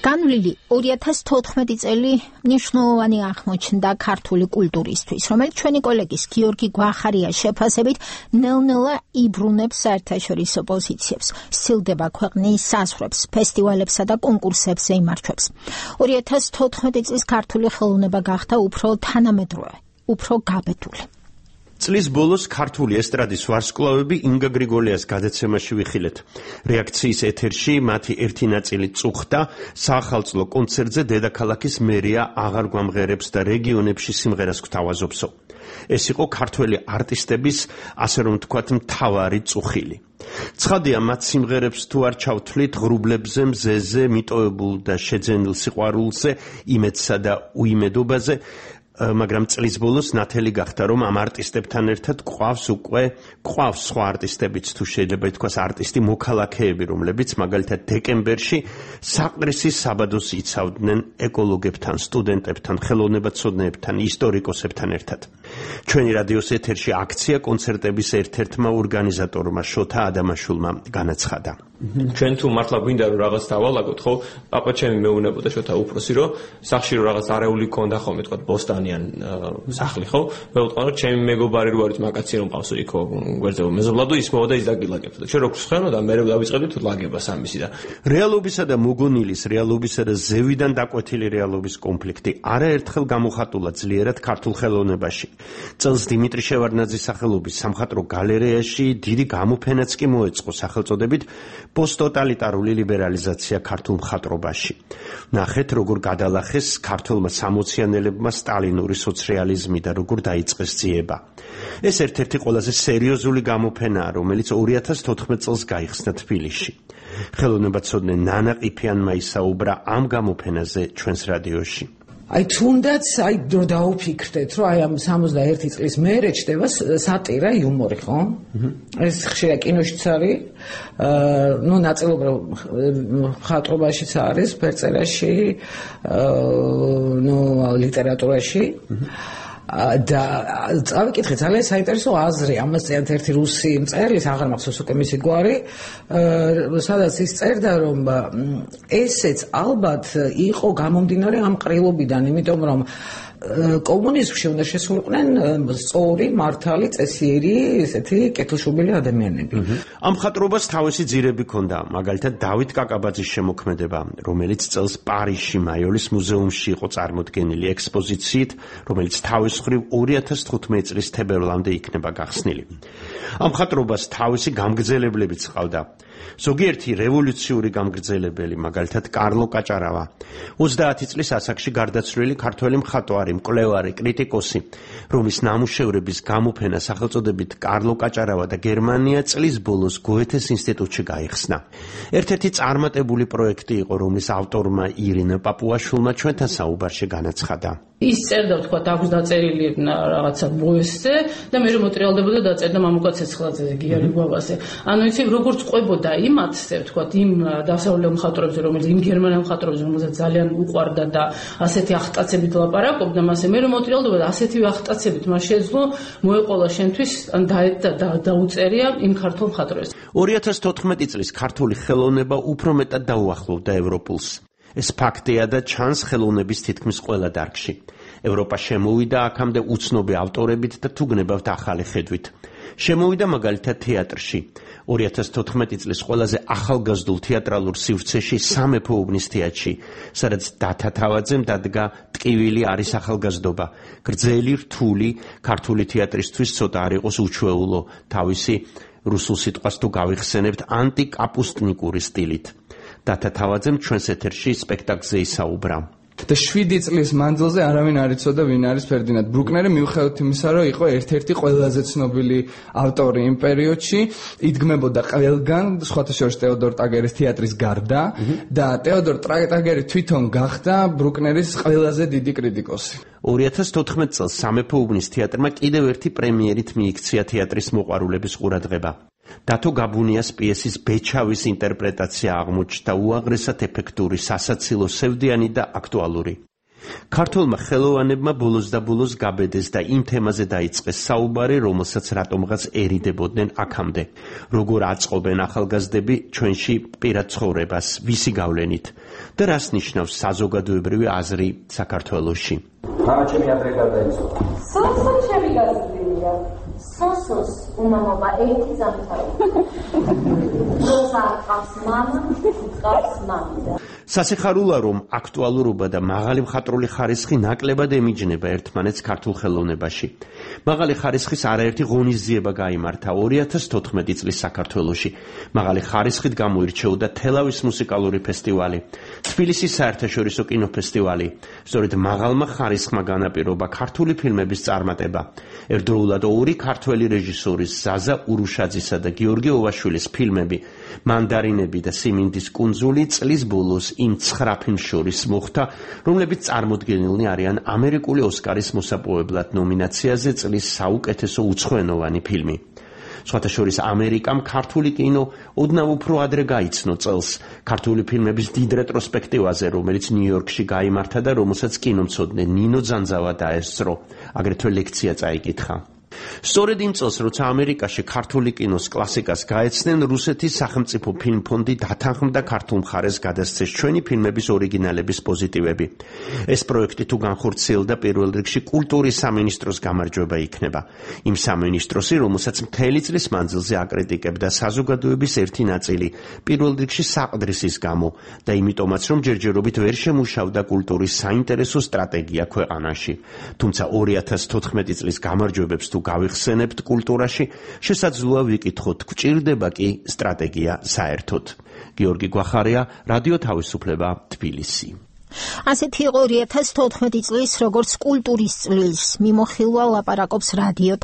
განვლილი 2014 წელი მნიშვნელოვანი აღმოჩნდა ქართული კულტურისთვის, რომელიც ჩვენი კოლეგის გიორგი გვახარიას შეფასებით ნელ-ნელა იბრუნებს საერთაშორისო პოზიციებს, სცილდება ქვეყნის საზღვრებს, ფესტივალებსა და კონკურსებზე იმარჯვებს. 2014 წლის ქართული ხელოვნება გახდა უფრო თანამედროვე, უფრო გაბედული. წლის ბოლოს ქართული ესტრადის ვარსკვლავები ინგა გრიგოლიას გადაცემაში ვიხილეთ. რეაქციის ეთერში მათი ერთი ნაწილი წუხდა საახალწლო კონცერტზე დედაქალაქის მერია აღარ გვამღერებს და რეგიონებში სიმღერას გვთავაზობსო. ეს იყო ქართველი არტისტების, ასე რომ ვთქვათ, მთავარი წუხილი. ცხადია, მათ სიმღერებს თუ არ ჩავთვლით ღრუბლებზე, მზეზე, მიტოვებულ და შეძენილ სიყვარულზე, იმედსა და უიმედობაზე, მაგრამ წლის ბოლოს ნათელი გახდა, რომ ამ არტისტებთან ერთად გვყავს სხვა არტისტებიც, თუ შეიძლება ითქვას არტისტი მოქალაქეები, რომლებიც მაგალითად დეკემბერში საყდრისის საბადოს იცავდნენ ეკოლოგებთან, სტუდენტებთან, ხელოვნებაცოდნეებთან, ისტორიკოსებთან ერთად. ჩვენი რადიოს ეთერში აქცია კონცერტების ერთ-ერთმა ორგანიზატორმა შოთა ადამაშულმა განაცხადა. ჩვენ თუ მართლა გვინდა რომ რაღაც დავალაგოთ, ხო? პაპა ჩემი მეუბნებოდა შოთა უფროსი, რომ სახში რომ რაღაც არეული ქონდა ხოლმე, თქვა ბოსტანიან სახლი, ხო? მე ვთქვა რომ ჩემი მეგობარი რო არის მაგაცი რომ ყავს იქ გვერდზე მეზობლადო ის მოვა და ის დაგილაგებდა. და ჩვენ როგორც ხვდნო და მე დავიწყებდით ლაგებას ამისი და რეალობისა და მოგონილის, რეალობისა და ზევიდან დაკვეთილი რეალობის კონფლიქტი არაერთხელ გამოხატულა ძლიერად ქართულ ხელოვნებაში. წელს დიმიტრი შევარდნაძის სახელობის სამხატვრო გალერეაში დიდი გამოფენაც კი მოეწყო სახელწოდებით პოსტტოტალიტარული ლიბერალიზაცია ქართულ მხატვრობაში. ნახეთ, როგორ გადალახეს ქართველმა სამოციანელებმა სტალინური სოციალიზმი და როგორ დაიწყეს ძიება. ეს ერთ-ერთი ყველაზე სერიოზული გამოფენაა, რომელიც 2014 წელს გაიხსნა თბილისში. ხელოვნებაცოდნე ნანა ყიფიანმა ისაუბრა ამ გამოფენაზე ჩვენს რადიოში. თუნდაც დრო დაუფიქრდეთ, რომ ამ 61 წლის მერე ჩდება სატირა, იუმორი, ხო? ეს ხშირად კინოშიც არის, ნაწილობრივ მხატვრობაშიც არის, ფერწერაში, ლიტერატურაში. და წავიკითხე ძალიან საინტერესო აზრი, ამას წერთ ერთი რუსი მწერლის, აღარ მახსოვს უკვე მისი გვარი, სადაც ის წერდა, რომ ესეც ალბათ იყო გამომდინარე ამ ყრილობიდან, იმიტომ რომ კომუნიზმში უნდა შესულიყვნენ სწორი, მართალი, წესიერი, ესეთი კეთილშობილი ადამიანები. ამ მხატვრობას თავისი ძირები ჰქონდა, მაგალითად დავით კაკაბაძის შემოქმედება, რომელიც წელს პარიზში მაიოლის მუზეუმში იყო წარმოდგენილი ექსპოზიციით, რომელიც თავის მხრივ 2015 წლის თებერვლამდე იქნება გახსნილი. ამ მხატვრობას თავისი გამგრძელებლებიც ჰყავდა. ზოგიერთი რევოლუციური გამგრძელებელი, მაგალითად კარლო კაჭარავა, 30 წლის ასაკში გარდაცვლილი ქართველი მხატვარი, მკვლევარი, კრიტიკოსი, რომლის ნამუშევრების გამოფენა სახელწოდებით კარლო კაჭარავა და გერმანია წლის ბოლოს გოეთეს ინსტიტუტში გაიხსნა. ერთ-ერთი წარმატებული პროექტი იყო, რომლის ავტორმა ირინა პაპუაშვილმა ჩვენთან საუბარში განაცხადა. ის წერდა, თქვა, აქვს დაწერილი რაღაცა ბოესზე და მე რომ მოტრიალდებოდა დაწერდა მამუკა ცეცხლაძე გიარი ბაბაზე. ანუ იცი როგორც ყვებოდა იმათზე, თქვა, იმ დასავლელ მხატვრებზე, რომელიც იმ გერმანელ მხატვრებზე, რომელსაც ძალიან უყვარდა და ასეთი ახტაცებით ლაპარაკობდა, მასე მე რომ მოტრიალდებოდა ასეთივე ახტაცებით მას შეძლო მოეყოლა შენთვის ან დაუწერია იმ ქართულ მხატვრებს. 2014 წლის ქართული ხელოვნება უფრო მეტად დაუახლოვდა ევროპულს. ეს ფაქტია და ჩანს ხელოვნების თითქმის ყველა დარგში. ევროპა შემოვიდა აქამდე უცნობი ავტორებით და თუ გნებავთ ახალი ხედვით. შემოვიდა მაგალითად თეატრში. 2014 წლის ყველაზე ახალგაზრდულ თეატრალურ სივრცეში სამეფო უბნის თეატრში, სადაც დათა თავაძემ დადგა ტკივილი არის ახალგაზრდობა. გრძელი, რთული, ქართული თეატრისთვის ცოტა არ იყოს უჩვეულო, თავისი რუსულ სიტყვას თუ გავიხსენებთ ანტიკაპუსტნიკური სტილით. დათა თავაძემ ჩვენს ეთერში სპექტაკლზე ისაუბრა. და 7 წლის მანძილზე არავინ არ იცოდა ვინ არის ფერდინანდ ბრუკნერი, მიუხედავად იმისა, რომ იყო ერთ-ერთი ყველაზე ცნობილი ავტორი იმ პერიოდში, იდგმებოდა ყველგან, სხვათა შორის ტეოდორ ტაგერის თეატრის გარდა და ტეოდორ ტაგერი თვითონ გახდა ბრუკნერის ყველაზე დიდი კრიტიკოსი. 2014 წელს სამეფო უბნის თეატრმა კიდევ ერთი პრემიერით მიიქცია თეატრის მოყვარულების ყურადღება. დათო გაბუნიას პიესის ბეჩავის ინტერპრეტაცია აღმოჩნდა უაღრესად ეფექტური, სასაცილო, სევდიანი და აქტუალური. ქართველმა ხელოვანებმა ბოლოს და ბოლოს გაბედეს და იმ თემაზე დაიწყეს საუბარი, რომელსაც რატომღაც ერიდებოდნენ აქამდე. როგორ აწყობენ ახალგაზრდები ჩვენში პირად ცხოვრებას, ვისი გავლენით და რას ნიშნავს საზოგადოებრივი აზრი საქართველოში. ჩემი ადრე გარდაიცვალა. სოსო ჩემი გაზრდილია. სოსოს უმამობა ერთი ზამთარი. როცა ყავს მამა, ყავს მამიდა. სასიხარულა რომ აქტუალურობა და მაღალი მხატვრული ხარისხი ნაკლებად ემიჯნება ერთმანეთს ქართულ ხელოვნებაში. მაღალი ხარისხის არაერთი ღონისძიება გაიმართა 2014 წლის საქართველოში. მაღალი ხარისხით გამოირჩეოდა თელავის მუსიკალური ფესტივალი, თბილისის საერთაშორისო კინოფესტივალი. სწორედ მაღალმა ხარისხმა განაპირობა ქართული ფილმების წარმატება. ერთდროულად ორი ქართველი რეჟისორის ზაზა ურუშაძისა და გიორგი ოვაშვილის ფილმები მანდარინები და სიმინდის კუნძული წლის ბოლოს იმ 9 ფილმს შორის მოხვდა, რომლებიც წარმოდგენილნი არიან ამერიკული ოსკარის მოსაპოვებლად ნომინაციაზე წლის საუკეთესო უცხოენოვანი ფილმი. სხვათა შორის ამერიკამ ქართული კინო ოდნავ უფრო ადრე გაიცნო წელს ქართული ფილმების დიდ რეტროსპექტივაზე, რომელიც ნიუ-იორკში გაიმართა და რომელსაც კინომცოდნე ნინო ძანძავა დაესწრო, აგრეთვე ლექცია წაიკითხა. სწორედ იმ წელს, როცა ამერიკაში ქართული კინოს კლასიკას გაეცნენ, რუსეთის სახელმწიფო ფილმფონდი დათანხმდა ქართულ მხარეს გადასცეს ჩვენი ფილმების ორიგინალების პოზიტივები. ეს პროექტი თუ განხორციელდა, პირველ რიგში კულტურის სამინისტროს გამარჯვება იქნება. იმ სამინისტროსი, რომელსაც მთელი წლის მანძილზე აკრიტიკებდა საზოგადოების ერთი ნაწილი, პირველ რიგში საყდრისის გამო და იმიტომაც, რომ ჯერჯერობით ვერ შემუშავდა კულტურის საინტერესო სტრატეგია ქვეყანაში. თუმცა 2014 წლის გამარჯვებებს თუ გავიხსენებთ კულტურაში, შესაძლოა ვიკითხოთ, გვჭირდება კი სტრატეგია საერთოდ. გიორგი გვახარია, რადიო თავისუფლება, თბილისი. ასეთი იყო 2014 წლის როგორც კულტურის წლის მიმოხილვა ლაპარაკობს რადიო